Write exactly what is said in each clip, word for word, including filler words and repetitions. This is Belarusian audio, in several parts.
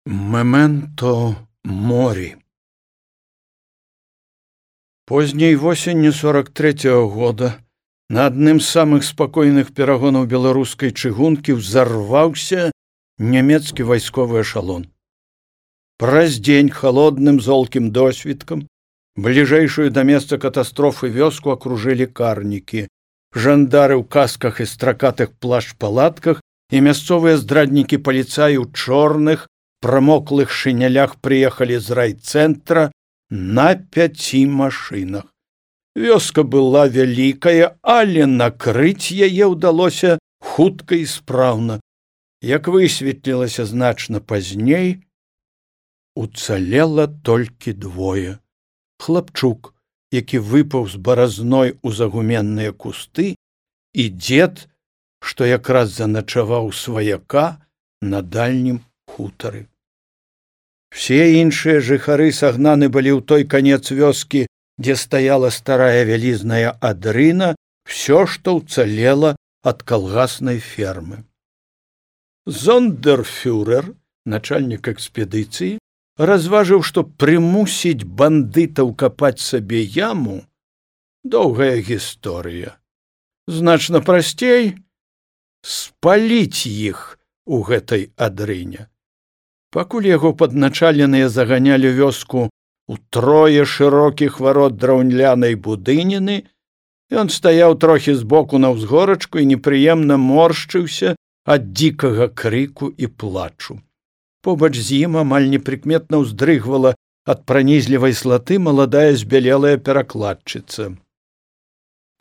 Мементо морі. Позняй восенню сорок третьего года на адным з самых спакойных перагонаў беларускай чыгункі ўзарваўся нямецкі вайсковы эшалон. Праз дзень халодным золкім досвіткам бліжэйшую да месца катастрофы вёску акружылі карнікі, жандары ў касках і стракатых плашч-палатках і мясцовыя здраднікі паліцаі ў чорных прамоклых шынялях прыехалі з райцэнтра на пяці машынах. Вёска была вялікая, але накрыць яе ўдалося хутка і спраўна. Як высветлілася значна пазней, уцалела толькі двое. Хлапчук, які выпаў з баразной у загуменныя кусты, і дзед, што якраз заначаваў сваяка на дальнім хутары. Все іншыя жыхары сагнаны былі ў той канец вёскі, дзе стаяла старая вялізная адрына, всё, што ўцалела ад калгаснай фермы. Зондерфюрер, начальнік экспедыцыі, разважыў, што прымусіць бандытаў капаць сабе яму — доўгая гісторыя. Значна прасцей спаліць іх у гэтай адрыне. Пакуль яго падначаленыя заганялі вёску у трое шырокіх варот драўнянай будыніны, ён стаяў трохі збоку на ўзгорачку і непрыемна моршчыўся ад дзікага крыку і плачу. Побач з ім амаль непрыкметна ўздрыгвала ад пранізлівай слаты маладая збялелая перакладчыца.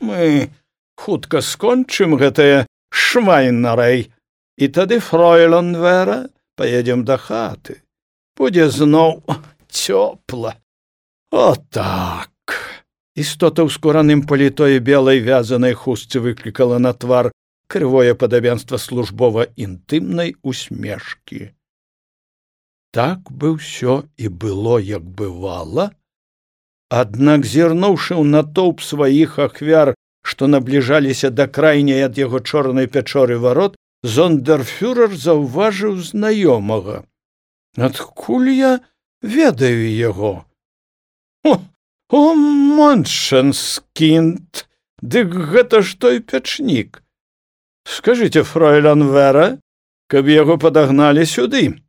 Мы хутка скончым гэтае швайнарэй, і тады, фройлен Вера, поедем до хаты. Будзе зноў цёпла. О так! Істота ў скураным паліто і белай вязанай хустцы выклікала на твар крывое падабенства службова-інтымнай усмешкі. Так бы ўсё і было, як бывала, аднак, зірнуўшы ў натоўп сваіх ахвяр, што набліжаліся да крайняй ад яго чорнай пячоры варот, зондерфюрер заўважыў знаёмага. Адкуль я ведаю яго? О, о, Моншенскінд, дык гэта ж той пячнік. Скажыце, фройлен Вера, каб яго падагналі сюды.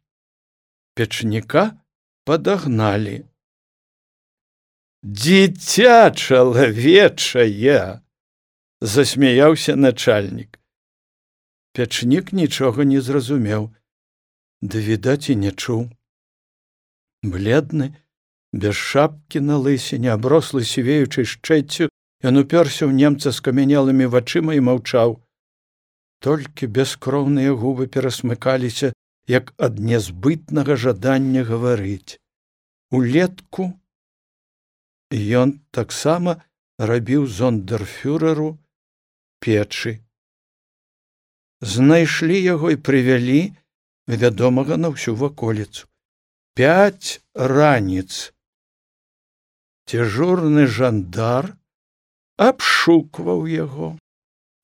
Печніка падагналі. Дзіця чалавечае, засмяяўся начальнік. Пячнік нічога не зразумеў, ды, відаць, і не чуў. Бледны, без шапкі на лысіне, аброслы сівеючай шчэццю, ён упёрся ў немца скамянелымі вачыма і маўчаў. Толькі бескроўныя губы перасмыкаліся, як ад нязбытнага жадання гаварыць. Улетку ён таксама рабіў зондерфюреру печы. Знайшлі яго і прывялі вядомага на ўсю ваколіцу. Пяць раніц. Дзяжурны жандар абшукваў яго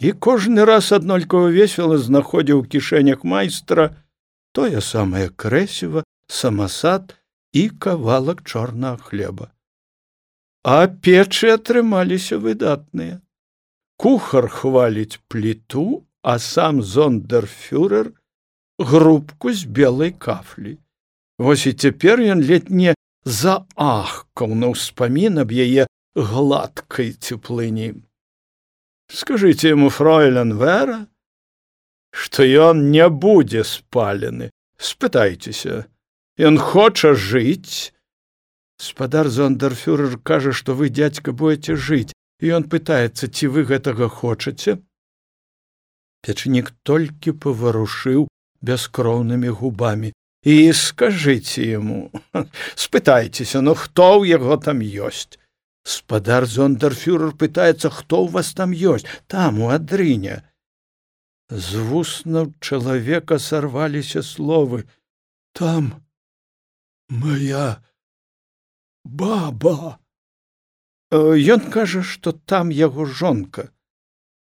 і кожны раз аднолькава весела знаходзіў у кішэнях майстра тое самае крэсіва, самасад і кавалак чорнага хлеба. А печы атрымаліся выдатныя. Кухар хваліць пліту, а сам зондерфюрер грубку з белай кафлі. Вось і цяпер ён ледь не заахкаў на ўспамін аб яе гладкай цеплыні. Скажыце яму, фройлен Вера, што ён не будзе спалены. Спытайцеся, ён хоча жыць. Спадар зондерфюрер кажа, што вы, дзядзька, будзеце жыць, і ён пытаецца, ці вы гэтага хочаце. Печнік толькі паварушыў бяскроўнымі губамі. І скажыце яму, спытайцеся, ну хто ў яго там ёсць? Спадар зондерфюрер пытаецца, хто ў вас там ёсць, там, у адрыне. З вуснаў чалавека сарваліся словы. Там моя баба. Ён кажа, што там яго жонка.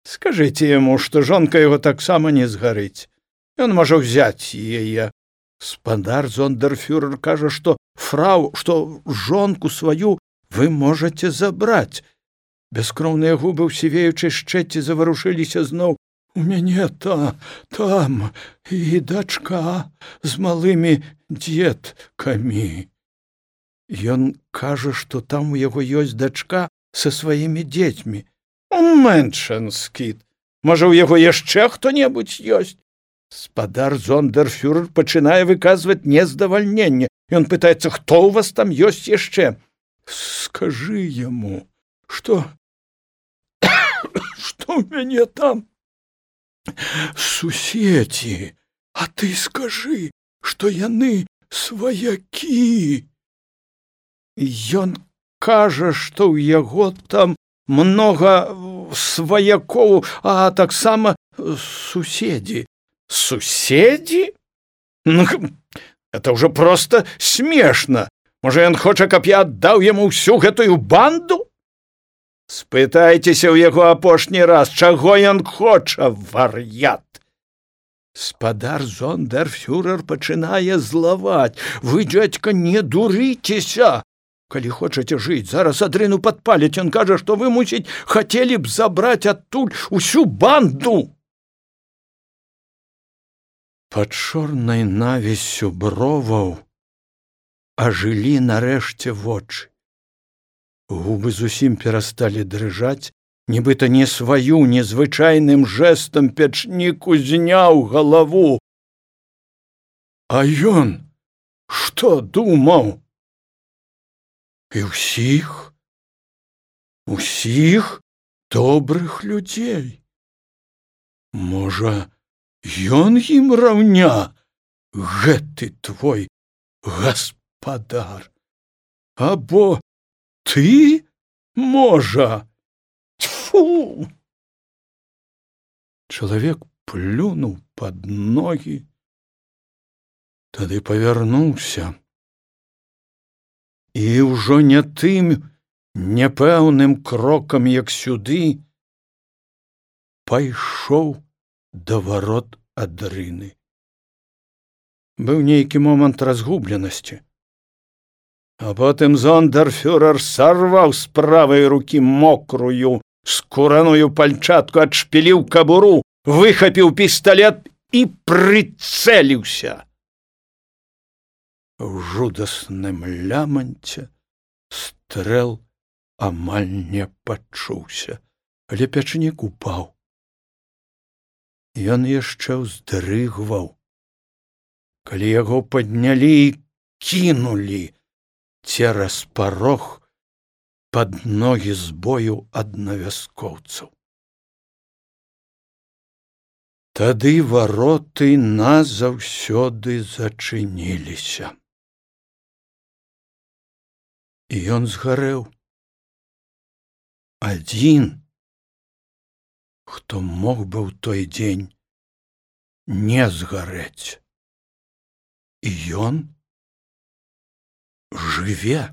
Скажыце яму, што жонка яго таксама не згарыць. Ён можа ўзяць яе. Спадар зондерфюрер кажа, што фрау, што жонку сваю вы можаце забраць. Бяскроўныя губы ў сівеючай шчэці заварушыліся зноў. У мяне та, там і дачка з малымі дзеткамі. Ён кажа, што там у яго ёсць дачка са сваімі дзецьмі. Мэншанскіт. Можа, у яго яшчэ хто-небудзь ёсць? Спадар зондерфюрер пачынае выказваць нездавальненне. Ён пытаецца, хто ў вас там ёсць яшчэ? Скажы яму, што... што ў мяне там суседзі, а ты скажы, што яны сваякі. Ён кажа, што ў яго там многа сваякоў, а таксама суседзі. Суседзі? Ну, это ўжо проста смешна. Можа, ён хоча, каб я аддаў яму ўсю гэтую банду? Спытайцеся ў яго апошні раз, чаго ён хоча, вар'ят. Спадар зондерфюрер пачынае злаваць. Вы, дзядзька, не дурыцеся. Калі хочаце жыць, зараз адрыну падпаліць. Ён кажа, што вы, мусіць, хацелі б забраць адтуль усю банду. Пад чорнай навіссю броваў ажылі нарэшце вочы. Губы зусім перасталі дрыжаць, нібыта не сваю незвычайным жэстам печнік узняў галаву. А ён што думаў? І ўсіх, усіх добрых людзей. Можа, ён ім раўня, гэты твой гаспадар? Або ты, можа? Тьфу! Чалавек плюнуў пад ногі, тады павярнуўся і ўжо не тым няпэўным крокам, як сюды, пайшоў да варот адрыны. Быў нейкі момант разгубленасці. А потым зондерфюрер сарваў з правай рукі мокрую скураную пальчатку, адшпіліў кабуру, выхапіў пісталет і прыцэліўся. У жудасным ляманце стрэл амаль не пачуўся, але печнік упаў. Ён яшчэ ўздрыгваў, калі яго паднялі і кінулі цераз парог пад ногі з бою аднавяскоўцаў. Тады вароты назаўсёды зачыніліся. І ён згарэў. Адзін, хто мог бы ў той дзень не згарэць. І ён жыве.